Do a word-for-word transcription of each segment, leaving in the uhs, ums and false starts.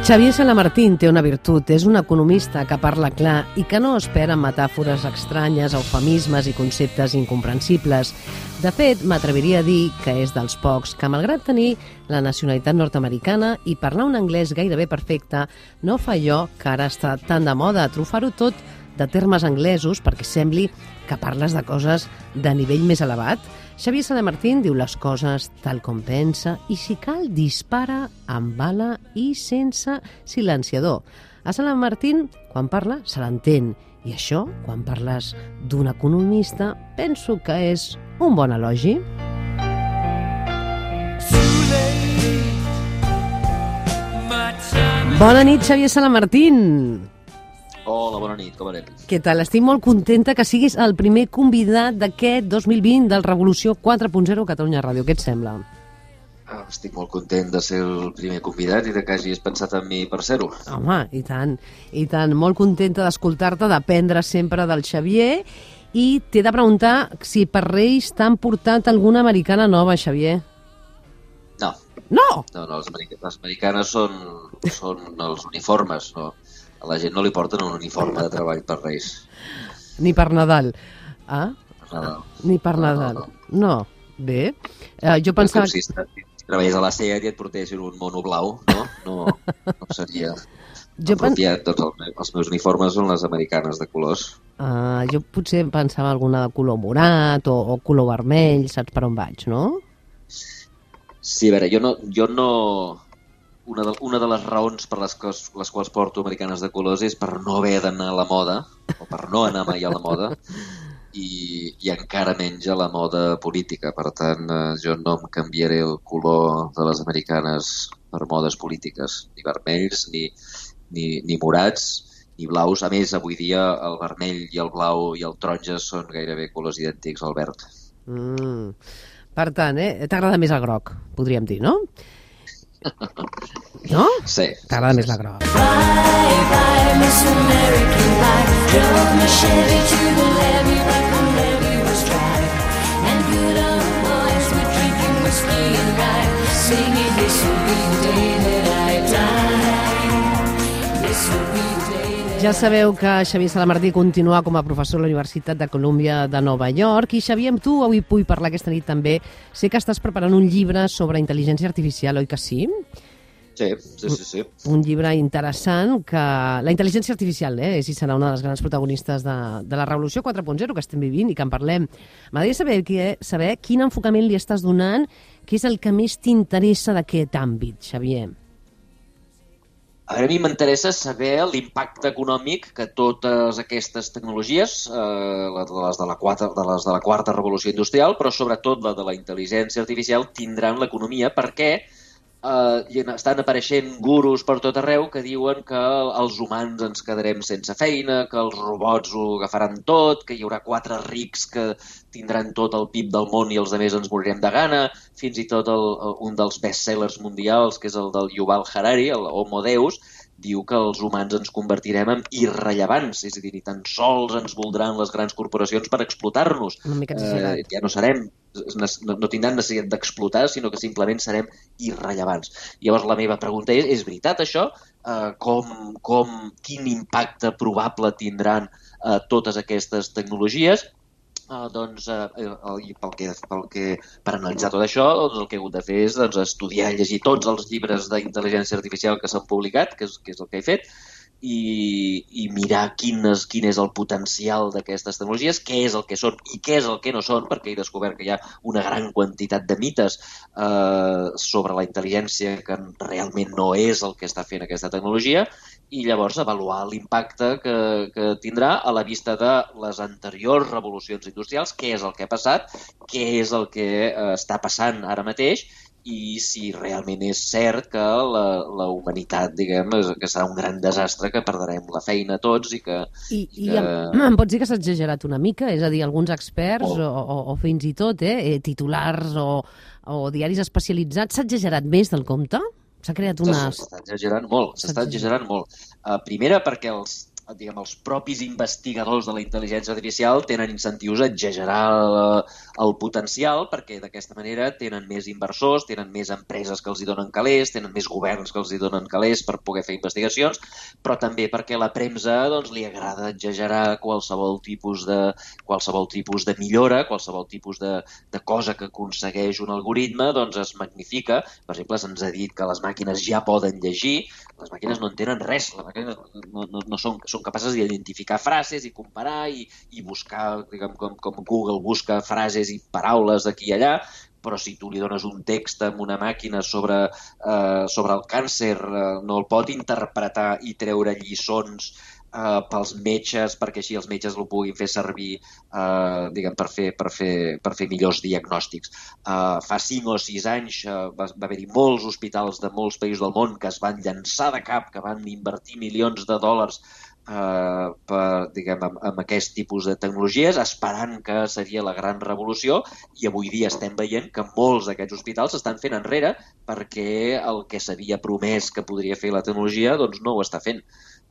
Xavier Salamartín té una virtut, és un economista que parla clar i que no espera metàfores estranyes, eufemismes i conceptes incomprensibles. De fet, m'atreviria a dir que és dels pocs que, malgrat tenir la nacionalitat nord-americana i parlar un anglès gairebé perfecte, no fa allò que ara està tan de moda, trufar-ho tot de termes anglesos perquè sembli que parles de coses de nivell més elevat. Xavier Salamartín diu les coses tal com pensa i, si cal, dispara amb bala i sense silenciador. A Salamartín, quan parla, se l'entén. I això, quan parles d'un economista, penso que és un bon elogi. Bona nit, Xavier Salamartín. Hola, bona nit, com anem? Què tal? Estic molt contenta que siguis el primer convidat d'aquest dos mil vint del Revolució quatre punt zero Catalunya Ràdio. Què et sembla? Ah, estic molt content de ser el primer convidat i de que hagis pensat en mi per ser-ho. Home, i tant, i tant. Molt contenta d'escoltar-te, d'aprendre sempre del Xavier. I t'he de preguntar si per Reis t'han portat alguna americana nova, Xavier. No. No? No, no, les, americ les americanes són, són els uniformes, no? A la gent no li porten un uniforme de treball per Reis. Ni per Nadal. Ah? Per Nadal. Ni per Nadal. No, no, no. no. Bé. Uh, jo pensava... Si, si treballes a la SEAT i et portessin un mono blau, no? No, no seria jo apropiat. Pen... Doncs els, els meus uniformes són les americanes de colors. Uh, jo potser pensava alguna de color morat o, o color vermell, saps per on vaig, no? Sí, a veure, jo no... Jo no... Una de, una de les raons per les, cos, les quals porto americanes de colors és per no haver d'anar a la moda, o per no anar mai a la moda, i, i encara menys a la moda política. Per tant, eh, jo no em canviaré el color de les americanes per modes polítiques, ni vermells, ni, ni, ni morats, ni blaus. A més, avui dia el vermell i el blau i el taronja són gairebé colors idèntics al verd. Mm. Per tant, eh, t'agrada més el groc, podríem dir, no? No? Sí. T'agrada més la groc. Bye, bye, Miss American Pie. Drove my Chevy to the levee like the levee was dry. And good old boys were drinking whiskey and rye, singing, this will be the day that I die. This will be the day that Ja sabeu que Xavier Salamartí continua com a professor a la Universitat de Colúmbia de Nova York. I, Xavier, amb tu avui vull parlar aquesta nit també. Sé que estàs preparant un llibre sobre intel·ligència artificial, oi que sí? Sí, sí, sí, sí. Un llibre interessant que... La intel·ligència artificial, eh, és i serà una de les grans protagonistes de, de la Revolució quatre punt zero que estem vivint i que en parlem. M'agradaria saber, saber quin enfocament li estàs donant, què és el que més t'interessa d'aquest àmbit, Xavier. A mi m'interessa saber l'impacte econòmic que totes aquestes tecnologies, eh, les, de la quarta, de les de la quarta revolució industrial, però sobretot la de la intel·ligència artificial, tindran l'economia, perquè eh, estan apareixent gurus per tot arreu que diuen que els humans ens quedarem sense feina, que els robots ho agafaran tot, que hi haurà quatre rics que tindran tot el P I B del món i els altres ens morirem de gana. Fins i tot el, un dels bestsellers mundials, que és el del Yuval Harari, el Homo Deus, diu que els humans ens convertirem en irrellevants, és a dir, ni tan sols ens voldran les grans corporacions per explotar-nos. Una mica exagerat. Eh, ja no serem, no, no tindran necessitat d'explotar, sinó que simplement serem irrellevants. Llavors la meva pregunta és, és veritat això? Eh, com, com, quin impacte probable tindran eh, totes aquestes tecnologies? Uh, doncs, uh, uh, pel que, pel que, per analitzar tot això, doncs, el que he hagut de fer és doncs, estudiar i llegir tots els llibres d'intel·ligència artificial que s'han publicat, que és, que és el que he fet, i, i mirar quin és, quin és el potencial d'aquestes tecnologies, què és el que són i què és el que no són, perquè he descobert que hi ha una gran quantitat de mites uh, sobre la intel·ligència que realment no és el que està fent aquesta tecnologia, i llavors avaluar l'impacte que, que tindrà a la vista de les anteriors revolucions industrials, què és el que ha passat, què és el que eh, està passant ara mateix i si realment és cert que la, la humanitat, diguem, que serà un gran desastre, que perdrem la feina tots i que... I, i i que... em, em pots dir que s'ha exagerat una mica? És a dir, alguns experts oh. o, o, o fins i tot eh, titulars o, o diaris especialitzats, s'ha exagerat més del compte? S'ha creat una... S'està exagerant molt, s'està exagerant molt. Uh, primera, perquè els, diguem, els propis investigadors de la intel·ligència artificial tenen incentius a exagerar el, el potencial perquè d'aquesta manera tenen més inversors, tenen més empreses que els hi donen calés, tenen més governs que els hi donen calés per poder fer investigacions, però també perquè a la premsa doncs, li agrada exagerar qualsevol tipus de, qualsevol tipus de millora, qualsevol tipus de, de cosa que aconsegueix un algoritme, doncs es magnifica. Per exemple, se'ns ha dit que les màquines ja poden llegir, les màquines no entenen res, les màquines no, no, no són, són capaces d'identificar frases i comparar i, i buscar, diguem, com, com Google busca frases i paraules d'aquí i allà, però si tu li dones un text amb una màquina sobre, eh, sobre el càncer, eh, no el pot interpretar i treure lliçons eh, pels metges, perquè així els metges el puguin fer servir eh, diguem, per, fer, per, fer, per fer millors diagnòstics. Eh, fa cinc o sis anys eh, va, va haver-hi molts hospitals de molts països del món que es van llançar de cap, que van invertir milions de dòlars Uh, per, diguem, amb, amb aquest tipus de tecnologies, esperant que seria la gran revolució, i avui dia estem veient que molts d'aquests hospitals s'estan fent enrere perquè el que s'havia promès que podria fer la tecnologia doncs no ho està fent.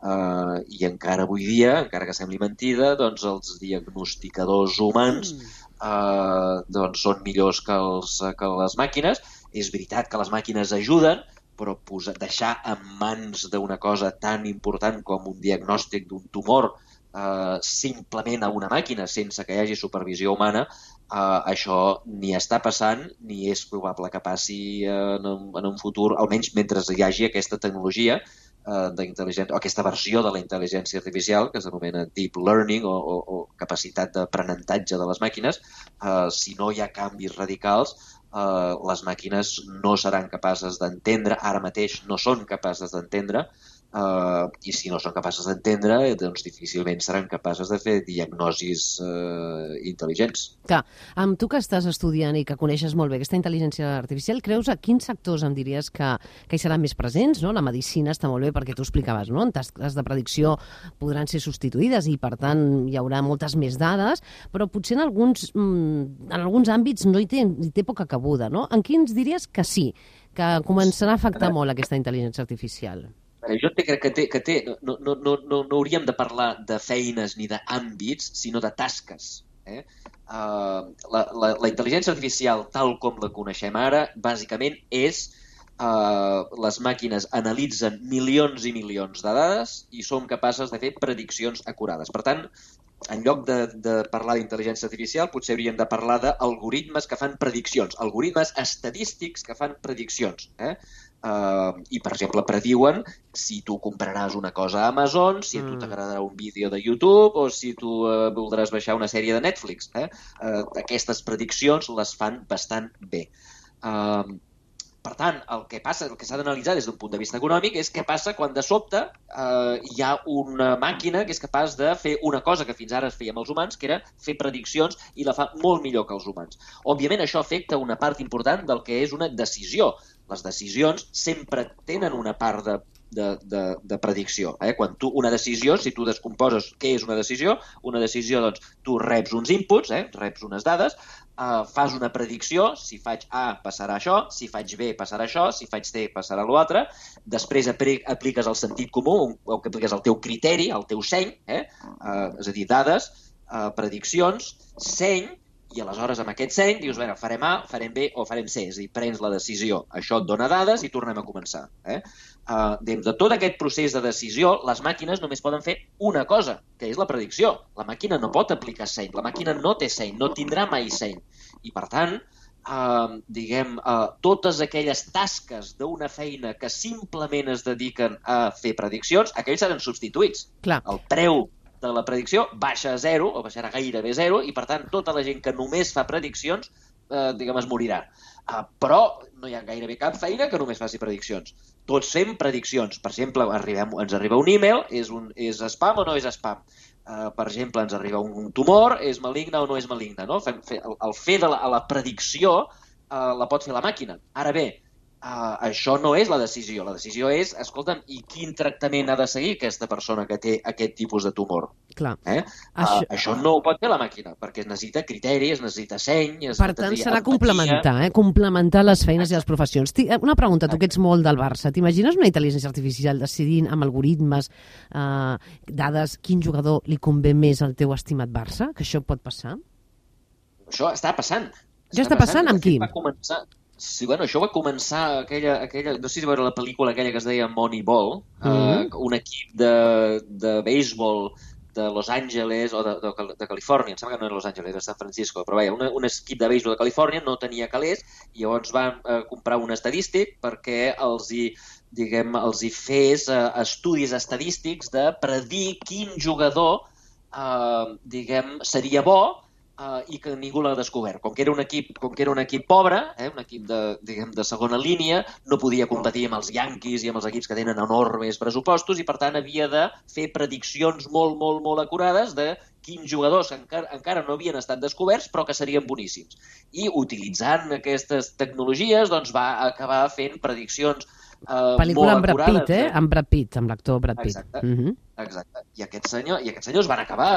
Uh, I encara avui dia, encara que sembli mentida, doncs els diagnosticadors humans uh, doncs són millors que, els, que les màquines. És veritat que les màquines ajuden, però posar, deixar en mans d'una cosa tan important com un diagnòstic d'un tumor eh, simplement a una màquina sense que hi hagi supervisió humana, eh, això ni està passant ni és probable que passi en un, en un futur, almenys mentre hi hagi aquesta tecnologia eh, d'intel·ligència, o aquesta versió de la intel·ligència artificial que s'anomena deep learning o, o, o capacitat d'aprenentatge de les màquines. Eh, si no hi ha canvis radicals, Uh, les màquines no seran capaces d'entendre, ara mateix no són capaces d'entendre, uh, i si no són capaces d'entendre, doncs difícilment seran capaces de fer diagnosis uh, intel·ligents. Clar, amb tu que estàs estudiant i que coneixes molt bé aquesta intel·ligència artificial, creus a quins sectors em diries que, que hi seran més presents? No? La medicina està molt bé perquè tu explicaves, no? En tasques de predicció podran ser substituïdes i, per tant, hi haurà moltes més dades, però potser en alguns, en alguns àmbits no hi té, hi té poca cabuda, no? En quins diries que sí, que començarà a afectar molt aquesta intel·ligència artificial? Jo crec que té, que té no, no, no, no, no hauríem de parlar de feines ni d'àmbits, sinó de tasques. Eh? Uh, la, la, la intel·ligència artificial, tal com la coneixem ara, bàsicament és uh, les màquines analitzen milions i milions de dades i són capaces de fer prediccions acurades. Per tant, en lloc de, de parlar d'intel·ligència artificial, potser hauríem de parlar d'algoritmes que fan prediccions, algoritmes estadístics que fan prediccions. Eh? Uh, I, per exemple, prediuen si tu compraràs una cosa a Amazon, si a tu t'agradarà un vídeo de YouTube o si tu uh, voldràs baixar una sèrie de Netflix. Eh? Uh, aquestes prediccions les fan bastant bé. Uh, Per tant, el que passa, el que s'ha d'analitzar des d'un punt de vista econòmic és què passa quan de sobte eh, hi ha una màquina que és capaç de fer una cosa que fins ara es feia amb els humans, que era fer prediccions, i la fa molt millor que els humans. Òbviament, això afecta una part important del que és una decisió. Les decisions sempre tenen una part de De, de, de predicció. Eh? Quan tu, una decisió, si tu descomposes què és una decisió, una decisió, doncs, tu reps uns inputs, eh? reps unes dades, eh, fas una predicció, si faig A passarà això, si faig B passarà això, si faig C passarà l'altre, després apliques el sentit comú, o que apliques el teu criteri, el teu seny, eh? Eh, és a dir, dades, eh, prediccions, seny, i aleshores amb aquest seny dius, bueno, farem A, farem B o farem C, és a dir, prens la decisió. Això et dona dades i tornem a començar. Eh? Uh, de tot aquest procés de decisió, les màquines només poden fer una cosa, que és la predicció. La màquina no pot aplicar seny, la màquina no té seny, no tindrà mai seny. I per tant, uh, diguem, uh, totes aquelles tasques d'una feina que simplement es dediquen a fer prediccions, aquells seran substituïts. Clar. El preu de la predicció baixa a zero, o baixarà gairebé zero, i per tant tota la gent que només fa prediccions, eh, diguem, es morirà. Uh, però no hi ha gairebé cap feina que només faci prediccions. Tots fem prediccions. Per exemple, arribem, ens arriba un e-mail, és, un, és spam o no és spam? Uh, per exemple, ens arriba un tumor, és maligne o no és maligne? No? Fem, fe, el, el fer de la, la predicció uh, la pot fer la màquina. Ara bé, Uh, això no és la decisió. La decisió és, escolta'm, i quin tractament ha de seguir aquesta persona que té aquest tipus de tumor? Clar. Eh? Això... Uh, això no ho pot fer la màquina, perquè es necessita criteri, es necessita seny... Es per tant, serà empatia. complementar, eh? complementar les feines i les professions. Una pregunta, tu que ets molt del Barça, t'imagines una intel·ligència artificial decidint amb algoritmes, eh, dades, quin jugador li convé més al teu estimat Barça? Que això pot passar? Això està passant. Ja està passant, amb qui? Va començar... Sí, bueno, això va començar aquella, aquella... No sé si veure la pel·lícula aquella que es deia Moneyball, mm-hmm. uh, un equip de, de béisbol de Los Angeles o de, de, de Califòrnia, em sembla que no era Los Angeles, era San Francisco, però vaja, un, un equip de béisbol de Califòrnia no tenia calés i llavors van uh, comprar un estadístic perquè els hi, diguem, els hi fes uh, estudis estadístics de predir quin jugador uh, diguem, seria bo Uh, i que ningú l'ha descobert. Com que era un equip, com que era un equip pobre, eh, un equip de, diguem, de segona línia, no podia competir amb els Yankees i amb els equips que tenen enormes pressupostos i, per tant, havia de fer prediccions molt, molt, molt acurades de quins jugadors encara, encara no havien estat descoberts però que serien boníssims. I utilitzant aquestes tecnologies doncs, va acabar fent prediccions uh, pel·lícula molt amb Brad acurades. Pitt, eh? Amb Brad Pitt, amb l'actor Brad Pitt. Exacte. Mm-hmm. Exacte. I aquests senyors, i aquests senyors van acabar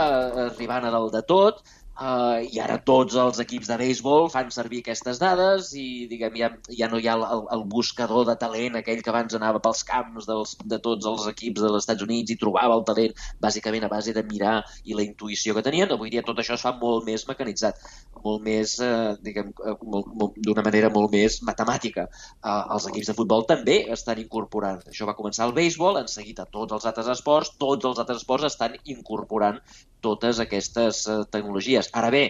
arribant a dalt de tot. Uh, i ara tots els equips de béisbol fan servir aquestes dades i diguem, ja, ja no hi ha el, el buscador de talent, aquell que abans anava pels camps dels, de tots els equips dels Estats Units i trobava el talent bàsicament a base de mirar i la intuïció que tenien. Avui dia tot això es fa molt més mecanitzat, molt més, uh, diguem, uh, molt, molt, d'una manera molt més matemàtica. Uh, els equips de futbol també estan incorporant. Això va començar al béisbol, en seguit a tots els altres esports, tots els altres esports estan incorporant totes aquestes uh, tecnologies. Ara bé...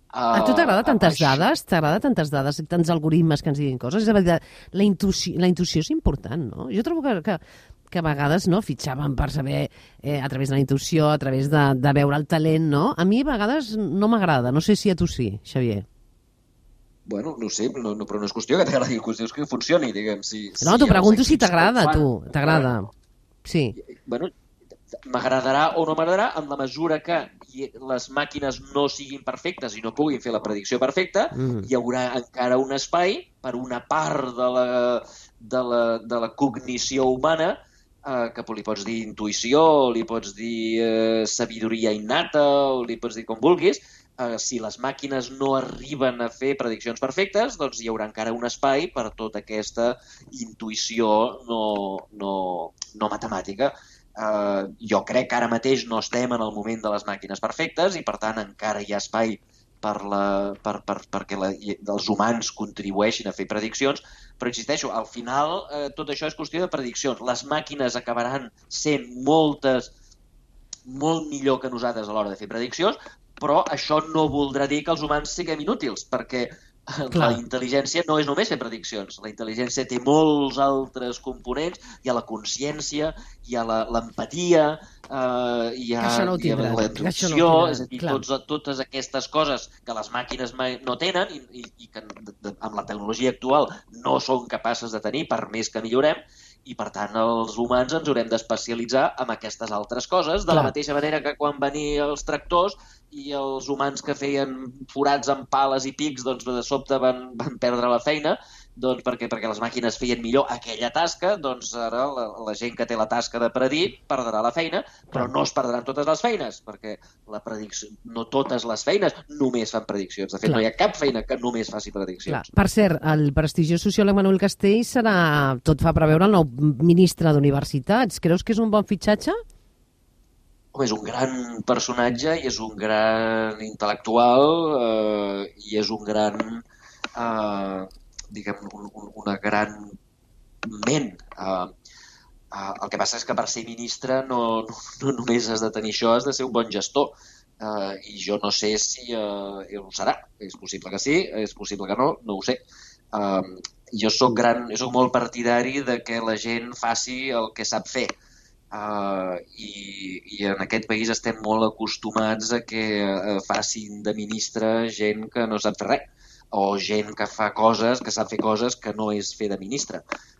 Uh, a tu t'agrada tantes això... dades? T'agrada tantes dades i tants algoritmes que ens diguin coses? És a dir, la intuïció, la intuïció és important, no? Jo trobo que, que, que a vegades no fitxaven per saber, eh, a través de la intuïció, a través de, de veure el talent, no? A mi a vegades no m'agrada. No sé si a tu sí, Xavier. Bueno, no sé, no, no, però no és qüestió que t'agradi, és qüestió que funcioni, diguem. Si, no, si t'ho pregunto si t'agrada, a tu. T'agrada. Sí. Bueno, m'agradarà o no m'agradarà en la mesura que les màquines no siguin perfectes i no puguin fer la predicció perfecta, mm. hi haurà encara un espai per una part de la, de la, de la cognició humana eh, que li pots dir intuïció, o li pots dir eh, sabidoria innata, o li pots dir com vulguis. Eh, si les màquines no arriben a fer prediccions perfectes, doncs hi haurà encara un espai per tota aquesta intuïció no, no, no matemàtica. Uh, jo crec que ara mateix no estem en el moment de les màquines perfectes i per tant encara hi ha espai per la, per, per, perquè la, els humans contribueixin a fer prediccions, però insisteixo, al final uh, tot això és qüestió de prediccions. Les màquines acabaran sent moltes, molt millor que nosaltres a l'hora de fer prediccions, però això no voldrà dir que els humans siguem inútils, perquè Clar. La intel·ligència no és només fer prediccions. La intel·ligència té molts altres components. Hi ha la consciència, hi ha l'empatia, eh, hi ha, no hi ha la intuïció, no és a dir, tots, totes aquestes coses que les màquines mai no tenen i, i, i que de, de, amb la tecnologia actual no són capaces de tenir per més que millorem, i per tant els humans ens haurem d'especialitzar en aquestes altres coses, de Clar. La mateixa manera que quan venien els tractors i els humans que feien forats amb pales i pics doncs de sobte van, van perdre la feina, doncs perquè, perquè les màquines feien millor aquella tasca, doncs ara la, la gent que té la tasca de predir perdrà la feina, però no es perdran totes les feines, perquè la predicció, no totes les feines només fan prediccions. De fet, Clar. No hi ha cap feina que només faci prediccions. Clar. Per cert, el prestigiós sociòleg Manuel Castells serà, tot fa preveure, el nou ministre d'Universitats. Creus que és un bon fitxatge? Home, és un gran personatge i és un gran intel·lectual eh, i és un gran... Eh, diguem, un, un, una gran ment. Uh, uh, el que passa és que per ser ministre no, no, no només has de tenir això, has de ser un bon gestor. Uh, I jo no sé si uh, ho serà. És possible que sí, és possible que no, no ho sé. Uh, jo soc gran, jo soc molt partidari de que la gent faci el que sap fer. Uh, i, i en aquest país estem molt acostumats a que uh, facin de ministre gent que no sap fer res, o gent que fa coses, que sap fer coses que no és fer de ministre.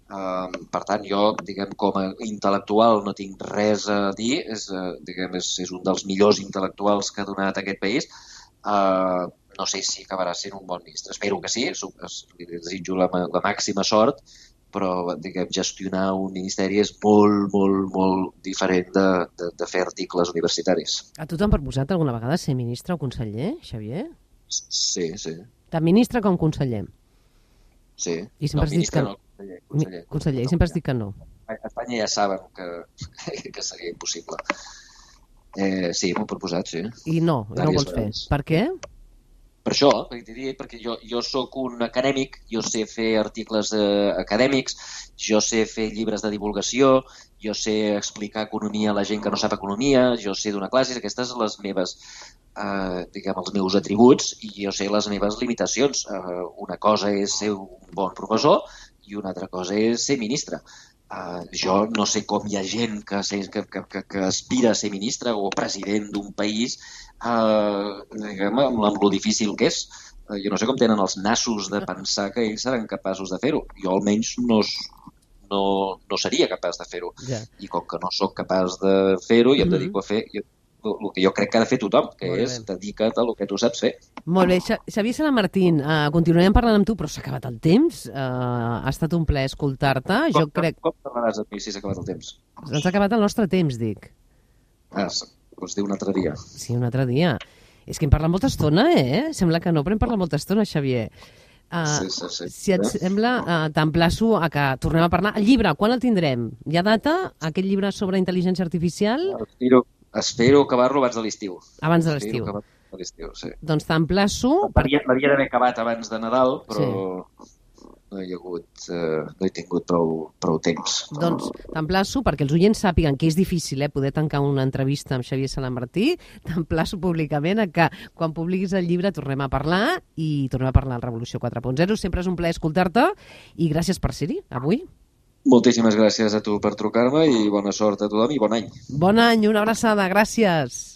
Uh, per tant, jo, diguem, com a intel·lectual no tinc res a dir, és, uh, diguem, és, és un dels millors intel·lectuals que ha donat aquest país. Uh, no sé si acabarà sent un bon ministre. Espero que sí, li desitjo la, la màxima sort però diguem, gestionar un ministeri és molt, molt, molt diferent de, de, de fer articles universitaris. A tu t'han proposat alguna vegada ser ministre o conseller, Xavier? Sí, sí. Tant ministre com conseller. Sí. I sempre no, has dit que no, conseller, conseller. Conseller, i sempre has dit que no. A Espanya ja saben que, que seria impossible. Eh, sí, m'ho he proposat, sí. I no, i no ho vols fer. Per què? Per això, perquè t'he dit, perquè jo, jo sóc un acadèmic, jo sé fer articles eh, acadèmics, jo sé fer llibres de divulgació, jo sé explicar economia a la gent que no sap economia, jo sé donar classes, aquestes són les meves, eh, diguem, els meus atributs, i jo sé les meves limitacions. Eh, una cosa és ser un bon professor i una altra cosa és ser ministre. Uh, jo no sé com hi ha gent que, que, que, que, que aspira a ser ministre o president d'un país uh, diguem, amb, amb lo difícil que és. Uh, jo no sé com tenen els nassos de pensar que ells seran capaços de fer-ho. Jo almenys no, no, no seria capaç de fer-ho. Ja. I com que no sóc capaç de fer-ho, jo em Mm-hmm. dedico a fer jo, el que jo crec que ha de fer tothom, que Molt és bé. dedica't a el que tu saps fer. Molt bé, Xa- Xavier Sala Martín, uh, continuarem parlant amb tu, però s'ha acabat el temps. Uh, ha estat un plaer escoltar-te. Jo Com, crec... com parlaràs amb mi si s'ha acabat el temps? Ens ha acabat el nostre temps, dic. Ah, doncs dir un altre dia. Sí, un altre dia. És que hem parlat molta estona, eh? Sembla que no, però hem parlat molta estona, Xavier. Uh, Sí, sí, sí. Si et sembla, uh, t'emplaço a que tornem a parlar. El llibre, quan el tindrem? Hi ha data? Aquest llibre sobre intel·ligència artificial? Espero, espero acabar-lo abans de l'estiu. Abans de Espero l'estiu. acabar a l'estiu, sí. Doncs t'emplaço... Per... L'havia l'havia d'haver acabat abans de Nadal, però no hi ha hagut, eh, no he tingut prou, prou temps. Doncs t'emplaço, perquè els oients sàpiguen que és difícil eh, poder tancar una entrevista amb Xavier Sala Martí, t'emplaço públicament a que quan publiquis el llibre tornem a parlar i tornem a parlar al Revolució quatre punt zero. Sempre és un plaer escoltar-te i gràcies per ser-hi avui. Moltíssimes gràcies a tu per trucar-me i bona sort a tothom i bon any. Bon any, una abraçada, gràcies.